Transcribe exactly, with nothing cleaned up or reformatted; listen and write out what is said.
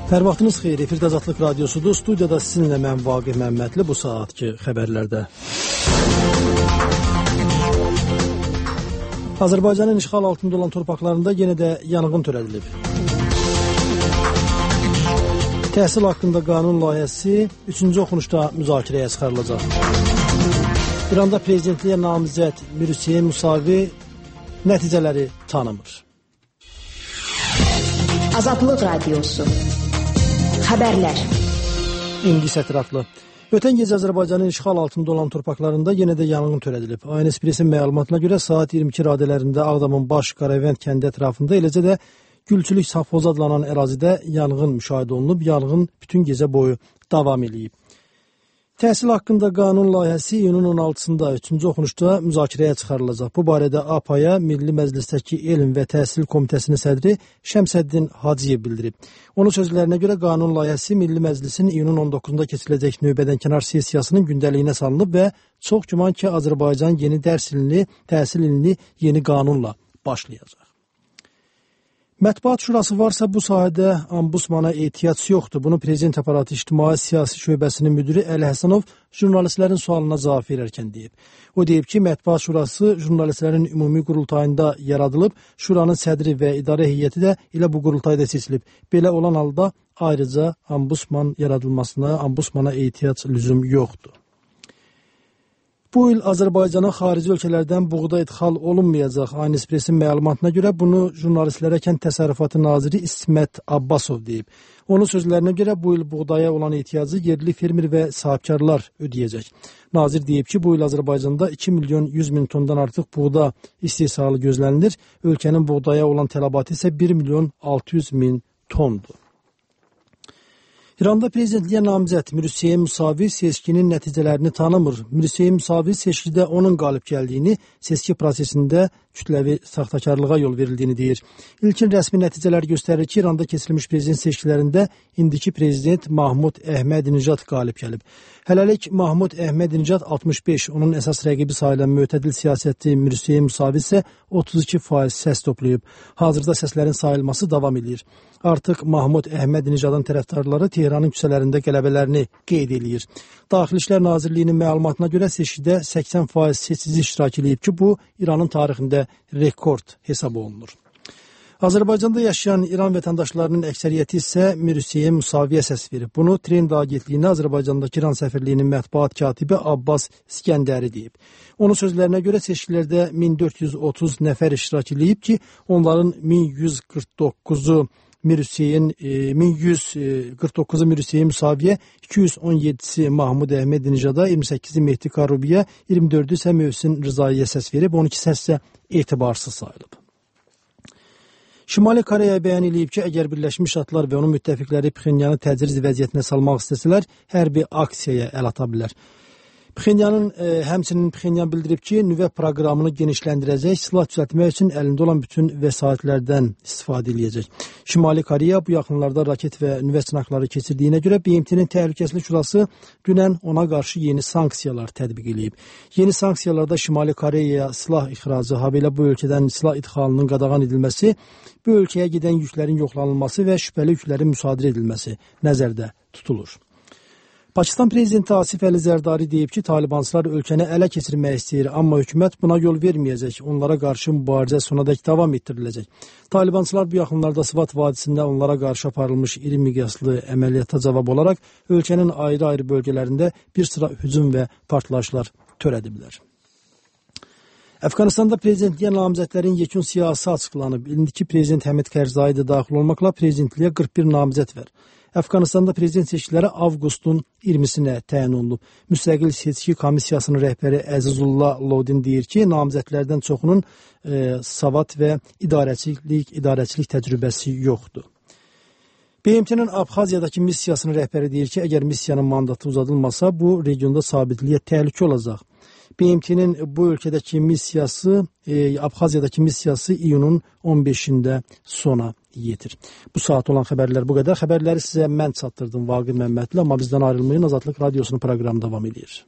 Hər vaxtınız xeyir, efirdə Azadlıq Radiosudur. Studiyada sizinlə mən Vaqif Məmmədli bu saatki xəbərlərdə. Azərbaycanın işğal altında olan torpaqlarında yenə də yanğın törədilib. Təhsil haqqında qanun layihəsi üçüncü oxunuşda müzakirəyə çıxarılacaq. İranda prezidentliyə namizəd Mirhüseyn Musavi nəticələri tanımır. Azadlıq Radiosu Xəbərlər. İndi isə ətraflı. Ötən gecə Azərbaycanın işğal altında olan torpaqlarında yenə də yanğın törədilib. A N S Press-in məlumatına görə saat iyirmi iki radələrində Ağdamın Baş Qaravənd kəndi ətrafında, eləcə də Gülçülük Safxozu adlanan ərazidə yanğın müşahidə olunub. Yanğın bütün gecə boyu davam edib. Təhsil haqqında qanun layihəsi iyunun on altısında üçüncü oxunuşda müzakirəyə çıxarılacaq. Bu barədə A P A-ya Milli Məclisdəki Elm və Təhsil Komitəsinin sədri Şəmsəddin Hacıyev bildirib. Onun sözlərinə görə qanun layihəsi Milli Məclisin iyunun on doqquzunda keçiriləcək növbədənkənar sessiyasının gündəliyinə salınıb və çox güman ki, Azərbaycan yeni dərs ilini, təhsil ilini yeni qanunla başlayacaq. Mətbuat şurası varsa bu sahədə ambusmana ehtiyac yoxdur. Bunu Prezident Aparatı İctimai Siyasi Şöbəsinin müdiri Əli Həsənov jurnalistlərin sualına cavab verərkən deyib. O deyib ki, Mətbuat şurası jurnalistlərin ümumi qurultayında yaradılıb, şuranın sədri və idarə heyəti də elə bu qurultayda seçilib. Belə olan halda ayrıca ambusman yaradılmasına, ambusmana ehtiyac lüzum yoxdur. Bu il Azərbaycana xarici ölkələrdən buğda idxal olunmayacaq. A N S Press-in məlumatına görə bunu jurnalistlərə Kənd Təsərrüfatı naziri İsmət Abbasov deyib. Onun sözlərinə görə bu il buğdaya olan ehtiyacı yerli fermer və sahibkarlar ödəyəcək. Nazir deyib ki, bu il Azərbaycanda iki milyon yüz min tondan artıq buğda istehsalı gözlənilir. Ölkənin buğdaya olan tələbatı isə bir milyon altı yüz min tondur. İranda prezidentliyə namizəd Mirhüseyn Musavi seçkinin nəticələrini tanımır. Mirhüseyn Musavi seçkidə onun qalib gəldiyini, seçki prosesində kütləvi saxtakarlığa yol verildiyini deyir. İlkin rəsmi nəticələr göstərir ki, İranda keçirilmiş prezident seçkilərində indiki prezident Mahmud Əhmədinəcad qalib gəlib. Hələlik Mahmud Əhmədinəcad altmış beş, onun əsas rəqibi sayılan mütədil siyasətçi Mirhüseyn Musavi isə otuz iki faiz səs toplayıb. Hazırda səslərin sayılması davam edir. Artıq Mahmud Əhmədinəcadın tərəfdarları Tehranın küçələrində qələbələrini qeyd edir. Daxili İşlər Nazirliyinin məlumatına görə seçkidə səksən faiz seçici iştirak edib ki, bu İranın tarixində rekord hesab olunur. Azərbaycanda yaşayan İran vətəndaşlarının əksəriyyəti isə Mirhüseyn Musaviyə səs verib. Bunu Trend agentliyinə Azərbaycandakı İran səfirliyinin mətbuat katibi Abbas İskəndəri deyib. Onun sözlərinə görə seçkilərdə min dörd yüz otuz nəfər iştirak edib ki, onların min yüz qırx doqquzu Mirhüseyn, min yüz qırx doqquzu Mirhüseyn Musaviyə, iki yüz on yeddisi Mahmud Əhmədinəcada, iyirmi səkkizi Mehdi Karubiyə, iyirmi dördü isə Mövsin Rızaiyə səs verib, on iki səs isə etibarsız sayılıb. Şimali Koreya bəyan edib ki, əgər Birləşmiş Ştatlar və onun müttəfiqləri Pxenyanı təcrid vəziyyətinə salmaq istəsələr, hərbi aksiyaya əl ata bilər. Pxenyanın, e, həmçinin Pxenyan bildirib ki, nüvə proqramını genişləndirəcək, silah düzəltmək üçün əlində olan bütün vəsaitlərdən istifadə edəcək. Şimali Koreya bu yaxınlarda raket və nüvə sınaqları keçirdiyinə görə B M T-nin Təhlükəsizlik Şurası dünən ona qarşı yeni sanksiyalar tətbiq edib. Yeni sanksiyalarda Şimali Koreyaya silah ixracı, habelə bu ölkədən silah idxalının qadağan edilməsi, bu ölkəyə gedən yüklərin yoxlanılması və şübhəli yüklərin müsadirə edilməsi nəzərdə tutulur. Pakistan prezidenti Asif Əli Zərdari deyib ki, Talibansılar ölkəni ələ keçirmək istəyir, amma hökumət buna yol verməyəcək. Onlara qarşı mübarizə sonadək davam etdiriləcək. Talibansılar bu yaxınlarda Sıvat vadisində onlara qarşı aparılmış iri miqyaslı əməliyyata cavab olaraq ölkənin ayrı-ayrı bölgələrində bir sıra hücum və partlayışlar törədiblər. Əfqanistanda prezidentliyə namizədlərin yekun siyahısı açıqlanıb. İndiki prezident Həmid Karzai da daxil olmaqla prezidentliyə qırx bir namizəd var. Əfqanistanda prezident seçkiləri avqustun iyirmisinə təyin olunub. Müstəqil seçki komissiyasının rəhbəri Əzizullah Lodin deyir ki, namizədlərdən çoxunun e, savad və idarəçilik, idarəçilik təcrübəsi yoxdur. B M T-nin Abxaziyadakı missiyasının rəhbəri deyir ki, əgər missiyanın mandatı uzadılmasa, bu regionda sabitliyə təhlükə olacaq. B M T-nin bu ölkədəki missiyası, e, Abxaziyadakı missiyası iyunun on beşində sona yetir. Bu saat olan xəbərlər bu qədər. Xəbərləri sizə mən çatdırdım Vaqif Məmmədli, amma bizdən ayrılmayın. Azadlıq Radiosunun proqramı davam edir.